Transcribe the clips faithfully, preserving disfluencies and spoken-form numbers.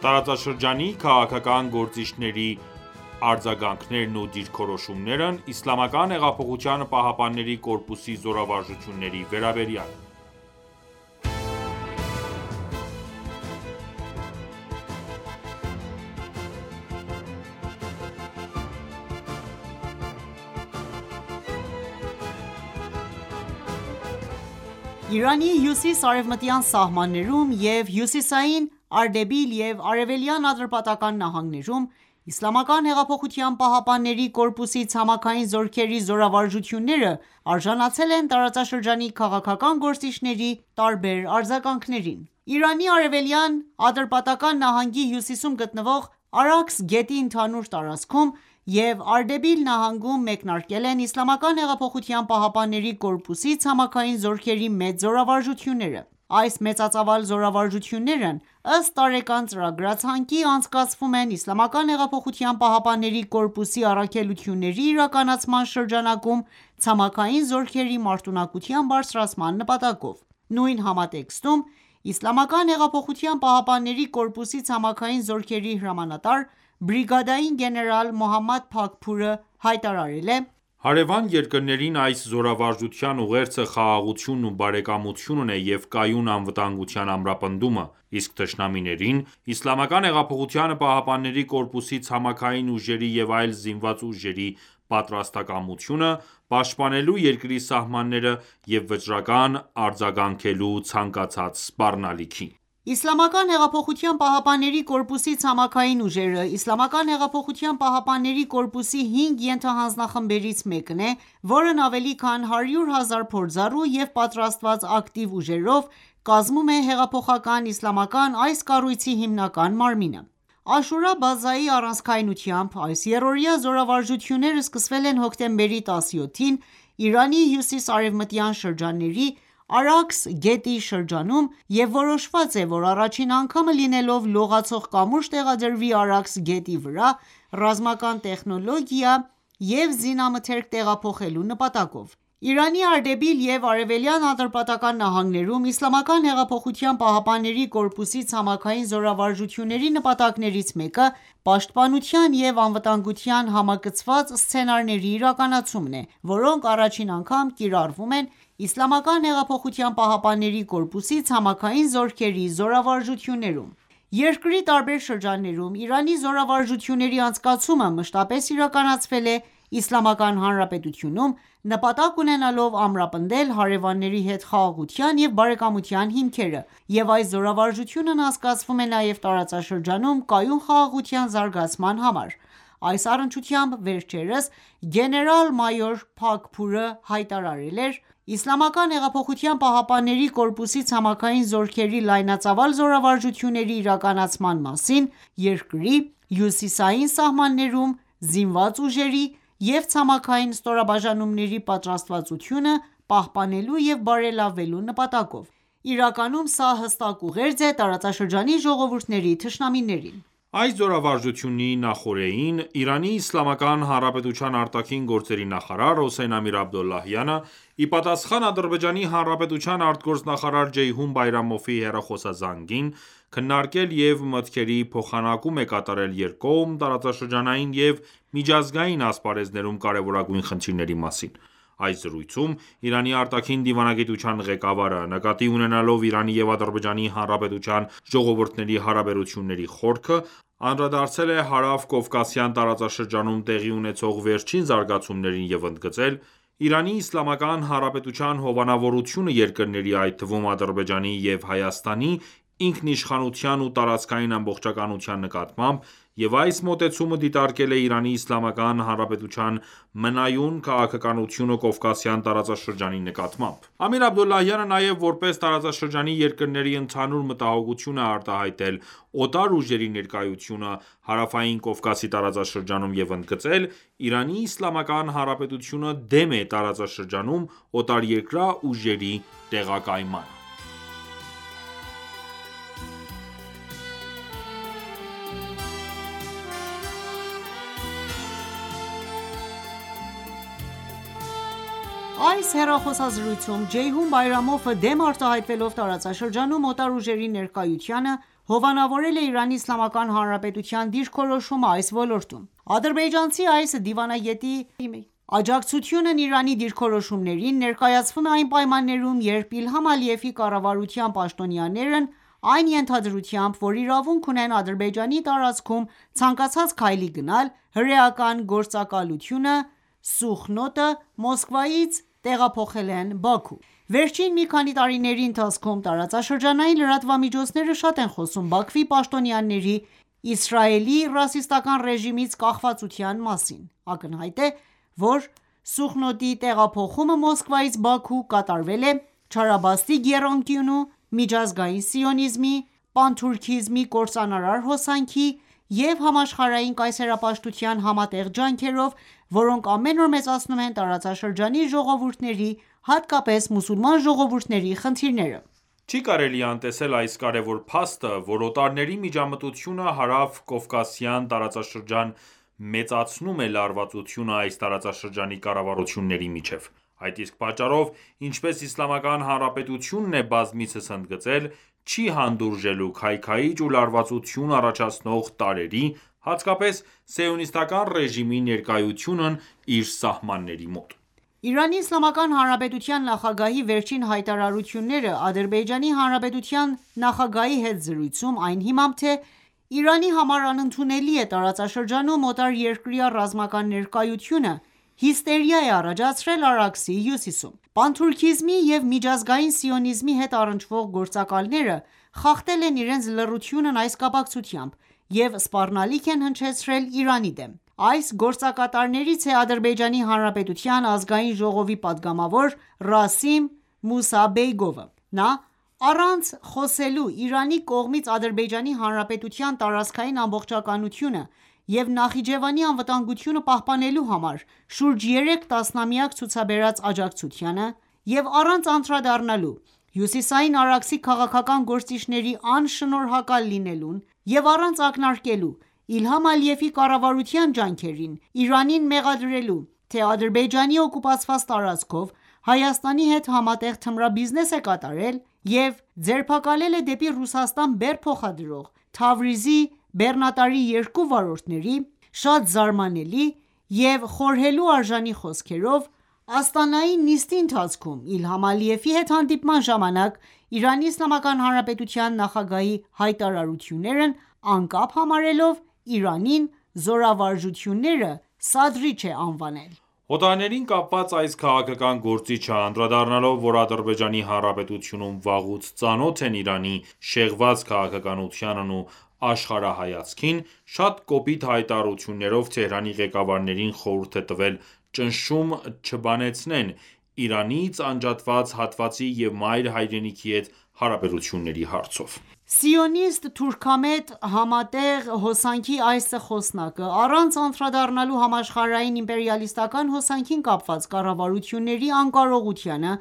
Տարածաշրջանի քաղաքական գործիչների արձագանքներն ու դիրքորոշումներն Իսլամական հեղափոխության պահապանների կորպուսի զորավարժությունների վերաբերյալ Իրանի հյուսիս-արևմտյան սահմաններում և հյուսիսային Արդեբիլ և Արևելյան Ատրպատական նահանգներում Իսլամական հեղափոխության պահապանների կորպուսի ցամաքային զորքերի զորավարժությունները արժանացել են տարածաշրջանի քաղաքական գործիչների տարբեր արձագանքներին: Իրանի արևելյան Ատրպատական նահանգի հյուսիսում գտնվող Արաքս գետի ընդհանուր տարածքում և Արդեբիլ նահանգում մեկնարկել են Իսլամական հեղափոխության պահապանների կորպուսի ցամաքային զորքերի մեծ զորավարժությունները: Այս մեծածավալ զորավարժություններն ըստ տարեկան ծրագրացանկի անցկացվում են Իսլամական հեղափոխության պահապանների կորպուսի առաքելությունների իրականացման շրջանակում ցամաքային զորքերի մարտունակության բարձրացման նպատակով: Նույն համատեքստում Իսլամական հեղափոխության պահապանների կորպուսի ցամաքային զորքերի հրամանատար բրիգադային գեներալ Մոհամմադ Փաքփուրը հայտարարել է. «Հարևան երկրներին այս զորավարժության ուղերձը խաղաղությունն ու բարեկամությունն է և կայուն անվտանգության ամրապնդումը, իսկ թշնամիներին Իսլամական հեղափոխության պահապանների կորպուսի ցամաքային ուժերի և այլ զինված ուժերի պատրաստակամությունը պաշտպանելու երկրի սահմանները և վճռական արձագանքելու ցանկացած սպառնալիքի»: Իսլամական հեղափոխության պահապանների կորպուսի ցամաքային ուժերը Իսլամական հեղափոխության պահապանների կորպուսի հինգ ենթահանձնախմբերից մեկն է, որն ավելի քան հարյուր հազար փորձառու և պատրաստված ակտիվ ուժերով կազմում է հեղափոխական իսլամական այս կառույցի հիմնական մարմինը: Աշուրա բազայի առանցքայնությամբ այս եռօրյա զորավարժությունները սկսվել են հոկտեմբերի տասնյոթին Իրանի հյուսիս-արևմտյան շրջանների Արաքս գետի շրջանում և որոշված է, որ առաջին անգամը լինելով լողացող կամուրջ տեղադրվի Արաքս գետի վրա ռազմական տեխնոլոգիա և զինամթերք տեղափոխելու նպատակով: Իրանի Արդեբիլ և Արևելյան Ատրպատական նահանգներում Իսլամական հեղափոխության պահապանների կորպուսի ցամաքային զորավարժությունների նպատակներից մեկը պաշտպանության և անվտանգության համակցված սցենարների իրականացումն է, որոնք առաջին անգամ կիրառվում են Իսլամական հեղափոխության պահապանների կորպուսի ցամաքային զորքերի զորավարժություններում: Երկրի տարբեր շրջաններում Իրանի զորավարժությունների անցկացումը մշտապես իրականացվել է Իսլամական Հանրապետությունում՝ նպատակ ունենալով ամրապնդել հարևանների հետ խաղաղության և բարեկամության հիմքերը, և այս զորավարժությունն անցկացվում է նաև տարածաշրջանում կայուն խաղաղության զարգացման համար: Այս առնչությամբ վերջերս գեներալ-մայոր Փաքփուրը հայտարարել էր.«Իսլամական հեղափոխության պահապանների կորպուսի ցամաքային զորքերի լայնածավալ զորավարժությունների իրականացման մասին երկրի հյուսիսային սահմաններում զինված ուժերի և ցամաքային ստորաբաժանումների պատրաստվածությունը պահպանելու և բարելավելու նպատակով: Իրականում սա հստակ ուղերձ է տարածաշրջանի ժողովուրդների թշնամիներին»: Այս զորավարժությունի նախօրեին Իրանի Իսլամական Հանրապետության արտաքին գործերի նախարար Հոսեյն Ամիր-Աբդոլլահյանը, ի պատասխան Ադրբեջանի Հանրապետության արտգործնախարար Ջեյհուն Բայրամովի հեռախոսազանգին, քննարկել և մտքերի փոխանակում է կատարել երկկողմ, տարածաշրջանային և միջազգային ասպարեզներում կարևորագույն խնդիրների մասին: Այս զրույցում Իրանի արտաքին դիվանագիտության ղեկավարը, նկատի ունենալով Իրանի և Ադրբեջանի Հանրապետության ժողովուրդների հարաբերությունների խորքը, անդրադարձել է Հարավ-Կովկասյան տարածաշրջանում տեղի ունեցող վերջին զարգացումներին և ընդգծել.«Իրանի Իսլամական Հանրապետության հովանավորությունը երկրների, այդ թվում Ադրբեջանի և Հայաստանի ինքնիշխանության ու տարածքային ամբողջականության նկատմամբ և այս մոտեցումը դիտարկել է Իրանի Իսլամական Հանրապետության մնայուն քաղաքականությունը Կովկասյան տարածաշրջանի նկատմամբ»: Ամիր Աբդոլլահյանը նաև որպես տարածաշրջանի երկրների ընդհանուր մտահոգություն է արտահայտել օտար ուժերի ներկայությունը Հարավային Կովկասի տարածաշրջանում և ընդգծել.«Իրանի Իսլամական Հանրապետությունը դեմ է տարածաշրջանում օտարերկրյա ուժերի տեղակայմանը»: Այս հեռախոսազրույցում Ջեյհուն Բայրամովը դեմ արտահայտվելով տարածաշրջանում օտար ուժերի ներկայությանը, հովանավորել է Իրանի Իսլամական Հանրապետության դիրքորոշումը այս ոլորտում: Ադրբեջանցի այս դիվանագետի աջակցությունն Իրանի դիրքորոշումներին ներկայացվում է այն պայմաններում, երբ Իլհամ Ալիևի կառավարության պաշտոնյաներն այն ենթադրությամբ, որ իրավունք ունեն Ադրբեջանի տարածքում ցանկացած քայլի գնալ, հրեական գործակալությունը Սուխնոտը Մոսկվայից տեղափոխել են Բաքու: Վերջին մի քանի տարիների ընթացքում տարածաշրջանային լրատվամիջոցները շատ են խոսում Բաքվի պաշտոնյաների Իսրայելի ռասիստական ռեժիմից կախվածության մասին: Ակնհայտ է, որ Սուխնոտի տեղափոխումը Մոսկվայից Բաքու կատարվել է չարաբաստիկ եռանկյունու, միջազգային սիոնիզմի, պանթուրքիզմի կործանարար հոսանքի և համաշխարհային կայսերապաշտության համատեղ ջանքերով, որոնք ամեն օր մեծացնում են տարածաշրջանի ժողովուրդների, հատկապես մուսուլման ժողովուրդների խնդիրները: Չի կարելի անտեսել այս կարևոր փաստը, որ օտարների միջամտությունը հարավ-կովկասյան տարածաշրջան մեծացնում է լարվածությունը այս տարածաշրջանի կառավարությունների միջև: Այդ իսկ պատճառով, ինչպես Իսլամական Հանրապետությունն է բազմիցս ընդգծել, չի հանդուրժելու քայքայիչ ու լարվածություն առաջացնող տարրերի, հատկապես սիոնիստական ռեժիմի ներկայությունն իր սահմանների մոտ: Իրանի Իսլամական Հանրապետության նախագահի վերջին հայտարարությունները Ադրբեջանի Հանրապետության նախագահի հետ զրույցում այն հիմամբ, թե Իրանի համար անընդունելի է տարածաշրջանում օտարերկրյա ռազմական ներկայությունը, հիստերիա է առաջացրել Արաքսի հյուսիսում: Պանթուրքիզմի և միջազգային սիոնիզմի հետ առնչվող գործակալները խախտել են իրենց լռությունն այս կապակցությամբ և սպառնալիք են հնչեցրել Իրանի դեմ: Այս գործակատարներից է Ադրբեջանի Հանրապետության Ազգային ժողովի պատգամավոր Ռասիմ Մուսաբեյգովը: Նա առանց խոսելու Իրանի կողմից Ադրբեջանի Հանրապետության տարածքային ամբողջականությունը և Նախիջևանի անվտանգությունը պահպանելու համար շուրջ երեք տասնամյակ ցուցաբերած աջակցությանը և առանց անդրադառնալու Հյուսիսային Արաքսի քաղաքական գործիչների անշնորհակալ լինելուն և առանց ակնարկելու Իլհամ Ալիևի կառավարության ջանքերին, Իրանին մեղադրելու, թե Ադրբեջանի օկուպացված տարածքով Հայաստանի հետ համատեղ թմրաբիզնես է կատարել և ձերբակալել է դեպի Ռուսաստան բեռ փոխադրող Թավրիզի բեռնատարի երկու վարորդների, շատ զարմանալի և խորհելու արժանի խոսքերով, Աստանայի նիստի ընթացքում Իլհամ Ալիևի հետ հանդիպման ժամանակ Իրանի Իսլամական Հանրապետության նախագահի հայտարարություններն անկապ համարելով Իրանին զորավարժությունները սադրիչ է անվանել: Օտարներին կապված այս քաղաքական գործիչը, անդրադառնալով, որ Ադրբեջանի Հանրապետությունում վաղուց ծանոթ են Իրանի շեղված քաղաքականությանն ու աշխարհայացքին, շատ կոպիտ հայտարարություններով Թեհրանի ղեկավարներին խորհուրդ է տվել ճնշում չբանեցնեն Իրանից անջատված հատվածի և մայր հայրենիքի հետ հարաբերությունների հարցով: Սիոնիստ-թուրքամետ համատեղ հոսանքի այս խոսնակը, առանց անդրադառնալու համաշխարհային իմպերիալիստական հոսանքին կապված կառավարությունների անկարողությանը,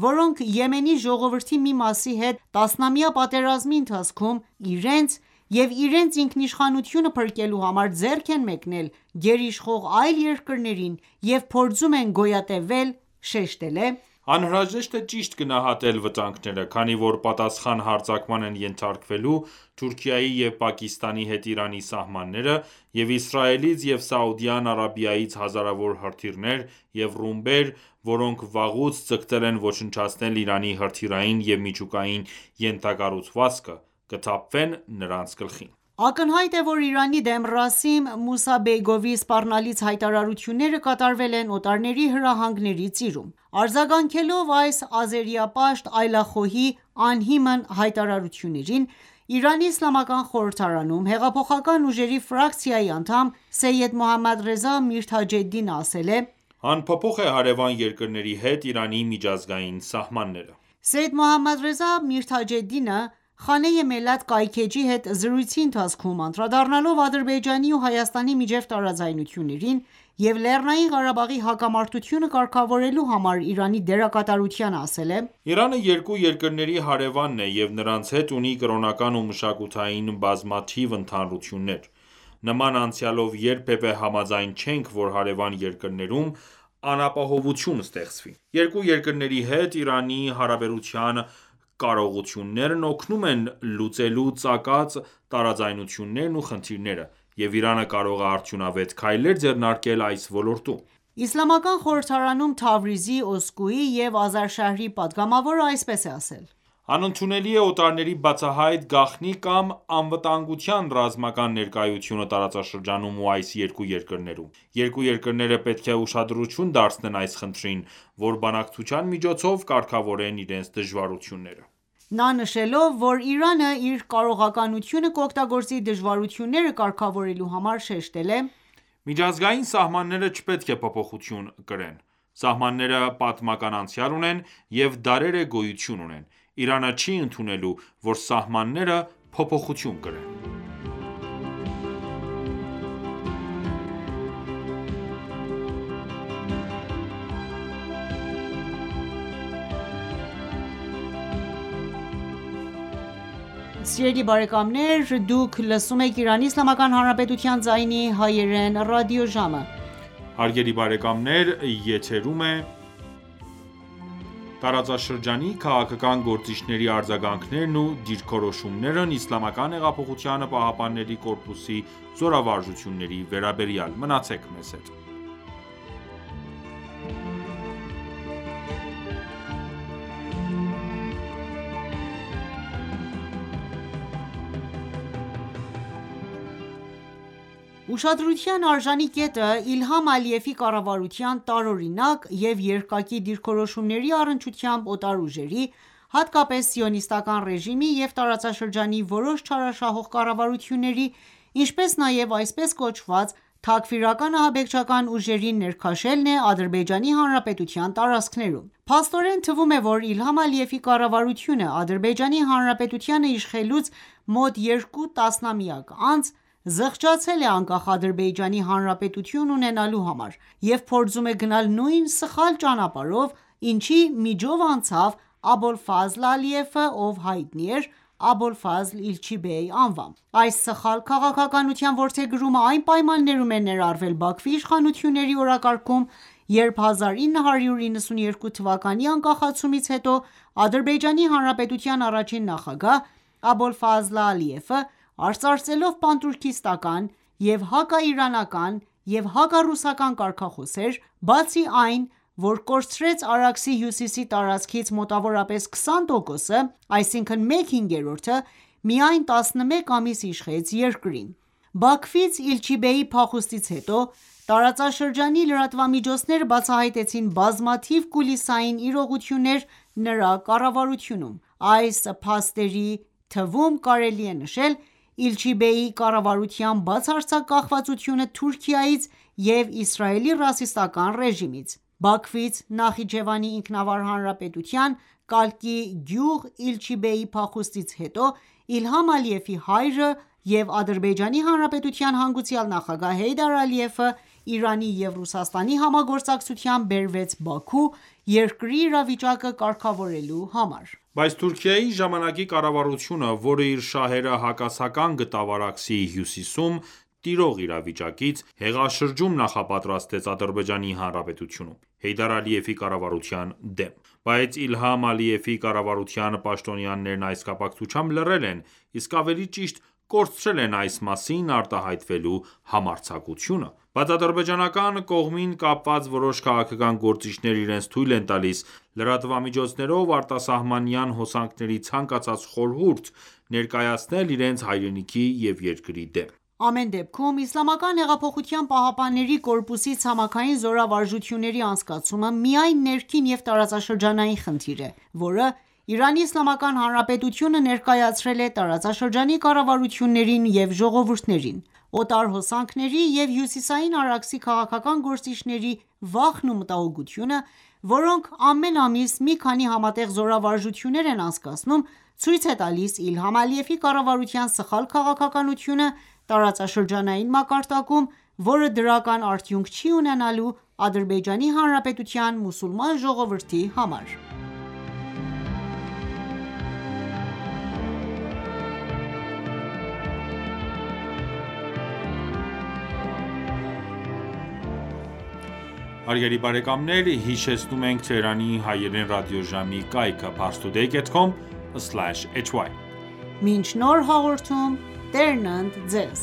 որոնք Եմենի ժողովրդի մի մասի հետ տասնամյա պատերազմի ընթացքում իրենց և իրենց ինքնիշխանությունը փրկելու համար ձեռք են մեկնել գերիշխող այլ երկրներին և փորձում են գոյատևել, շեշտել է. «Անհրաժեշտ է ճիշտ գնահատել վտանգները, քանի որ պատասխան հարձակման են ենթարկվելու Թուրքիայի և Պակիստանի հետ Իրանի սահմանները և Իսրայելից և Սաուդյան Արաբիայից հազարավոր հրթիռներ և ռումբեր, որոնք վաղուց ձգտել են ոչնչացնել Իրանի հրթիռային և միջուկային ենթակառուցվածքը, կթափվեն նրանց գլխին»: Ակնհայտ է, որ Իրանի դեմ Ռասիմ Մուսաբեյգովի սպառնալից հայտարարությունները կատարվել են օտարների հրահանգների ծիրում: Արձագանքելով այս ազերիապաշտ այլախոհի անհիմն հայտարարություններին, Իրանի Իսլամական խորհրդարանում հեղափոխական ուժերի ֆրակցիայի անդամ Սեյեդ Մոհամմադ Ռեզա Միրթաջեդդինը ասել է. «Անփոփոխ է հարևան երկրների հետ Իրանի միջազգային սահմանները»: Սեյեդ Մոհամմադ Ռեզա Միրթաջեդդինը Խանե Մելաթ կայքէջի հետ զրույցի ընթացքում անդրադառնալով Ադրբեջանի ու Հայաստանի միջև տարաձայնություններին և Լեռնային Ղարաբաղի հակամարտությունը կարգավորելու համար Իրանի դերակատարությանը ասել է. «Իրանը երկու երկրների հարևանն է և նրանց հետ ունի կրոնական ու մշակութային բազմաթիվ ընդհանրություններ: Նման անցյալով երբևէ համաձայն չենք, որ հարևան երկրներում անապահովություն ստեղծվի: Երկու երկրների հետ Իրանի հարաբերության կարողություններն օգնում են լուծելու ծագած տարաձայնություններն ու խնդիրները, և Իրանը կարող է արդյունավետ քայլեր ձեռնարկել այս ոլորտում: Իսլամական խորհրդարանում Թավրիզի, Օսկույի և Ազարշահրի պատգամավորը այսպես է ասել. «Անընդունելի է օտարների բացահայտ, գաղտնի կամ անվտանգության ռազմական ներկայությունը տարածաշրջանում ու այս երկու երկրներում: Երկու երկրները պետք է ուշադրություն դարձնեն այս խնդրին, որ բանակցության միջոցով կարգավորեն իրենց դժվարությունները»: Նա նշելով, որ Իրանը իր կարողականությունը կօգտագործի դժվարությունները կարգավորելու համար, շեշտել է. «Միջազգային սահմանները չպետք է փոփոխություն կրեն: Սահմանները պատմական անցյալ ունեն և դարեր է գոյություն ունեն: Իրանը չի ընդունելու, որ սահմանները փոփոխություն կրեն»: Ուշադրության արժանի կետը Իլհամ Ալիևի կառավարության տարօրինակ և երկակի դիրքորոշումների առնչությամբ օտար ուժերի, հատկապես Սիոնիստական ռեժիմի և տարածաշրջանի որոշ չարաշահող կառավարությունների, ինչպես նաև այսպես կոչված թաքֆիրական ահաբեկչական ուժերի ներքաշելն է Ադրբեջանի Հանրապետության տարածքներում: Փաստորեն թվում է, որ Իլհամ Ալիևի կառավարությունը Ադրբեջանի Հանրապետությանը իշխելուց մոտ երկու տասնամյակ անց, զղջացել է անկախ Ադրբեջանի Հանրապետություն ունենալու համար և փորձում է գնալ նույն սխալ ճանապարհով, ինչի միջով անցավ Աբոլֆազլ Ալիևը, ով հայտնի էր Աբոլֆազլ Իլչիբեյ անվամբ: Այս սխալ քաղաքականության որդեգրումը այն պայմաններում է ներառվել Բաքվի իշխանությունների օրակարգում, երբ հազար ինը հարյուր իննսունյերկու թվականի անկախացումից հետո Ադրբեջանի Հանրապետության առաջին նախագահ Աբոլֆազլ Ալիևը, արծարծելով պանթուրքիստական և հակաիրանական և հակառուսական կարգախոսեր, բացի այն, որ կորցրեց Արաքսի հյուսիսի տարածքից մոտավորապես քսան տոկոսը, այսինքն մեկ հինգերորդը, միայն տասնմեկ ամիս իշխեց երկրին: Բաքվից Իլչիբեյի փախուստից հետո, տարածաշրջանի լրատվամիջոցները բացահայտեցին բազմաթիվ կուլիսային իրողություններ նրա կառավարությունում: Այս փաստերի թվում կարելի է նշել Իլչիբեյի կառավարության բացարձակ կախվածությունը Թուրքիայից և Իսրայելի ռասիստական ռեժիմից: Բաքվից Նախիջևանի Ինքնավար Հանրապետության կալկի գյուղ Իլչիբեյի փախուստից հետո Իլհամ Ալիևի հայրը և Ադրբեջանի Հանրապետության հանգուցյալ նախագահ Հեյդար Ալիևը Իրանի և Ռուսաստանի համագործակցությամբ բերվեց Բաքու երկրի իրավիճակը կարգավորելու համար: Բայց Թուրքիայի ժամանակի կառավարությունը, որը իր շահերը հակասական գտավ Արաքսի հյուսիսում տիրող իրավիճակից, հեղաշրջում նախապատրաստեց Ադրբեջանի Հանրապետությունում, Հեյդար Ալիևի կառավարության դեմ: Բայց Իլհամ Ալիևի կառավարության պաշտոնյաներն այս կապակցությամբ լռել են, իսկ ավելի ճիշտ կորցրել են այս մասին արտահայտվելու համարձակությունը: Բայց ադրբեջանական կողմին կապված որոշ քաղաքական գործիչներ իրենց թույլ են տալիս լրատվամիջոցներով արտասահմանյան հոսանքների ցանկացած խորհուրդ ներկայացնել իրենց հայրենիքի և երկրի դեմ: Ամեն դեպքում, Իսլամական հեղափոխության պահապանների կորպուսի ցամաքային զորավարժությունների անցկացումը միայն ներքին և տարածաշրջանային խնդիր է, որը Իրանի Իսլամական Հանրապետությունը ներկայացրել է տարածաշրջանի կառավարություններին և ժողովուրդներին: Օտար հոսանքների և Հյուսիսային Արաքսի քաղաքական գործիչների վախն ու մտահոգությունը, որոնք ամեն ամիս մի քանի համատեղ զորավարժություններ են անցկացնում, ցույց է տալիս Իլհամ Ալիևի կառավարության սխալ քաղաքականությունը տարածաշրջանային մակարդակում, որը դրական արդյունք չի ունենալու Ադրբեջանի Հանրապետության մուսուլման ժողովրդի համար: սլաշ էյչ վայ: Մինչ նոր հաղորդում Տերն ընդ ձեզ: